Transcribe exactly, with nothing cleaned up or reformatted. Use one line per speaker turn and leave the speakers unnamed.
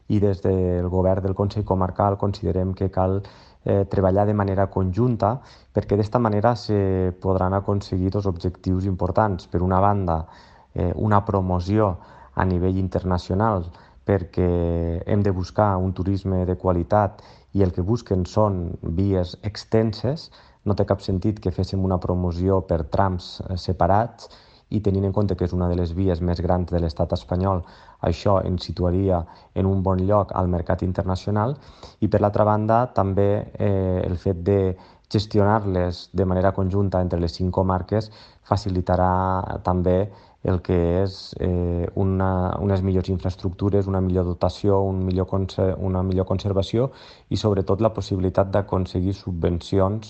i des del govern del Consell Comarcal considerem que cal eh, treballar de manera conjunta perquè d'esta manera se podran aconseguir dos objectius importants. Per una banda, eh, una promoció a nivell internacional perquè hem de buscar un turisme de qualitat i el que busquen són vies extenses. No té cap sentit que féssim una promoció per trams eh, separats i tenint en compte que és una de les vies més grans de l'estat espanyol, això ens situaria en un bon lloc al mercat internacional i per l'altra banda també eh, el fet de gestionar-les de manera conjunta entre les cinc comarques facilitarà també el que és eh, una, unes millors infraestructures, una millor dotació, un millor una millor conservació i sobretot la possibilitat d'aconseguir subvencions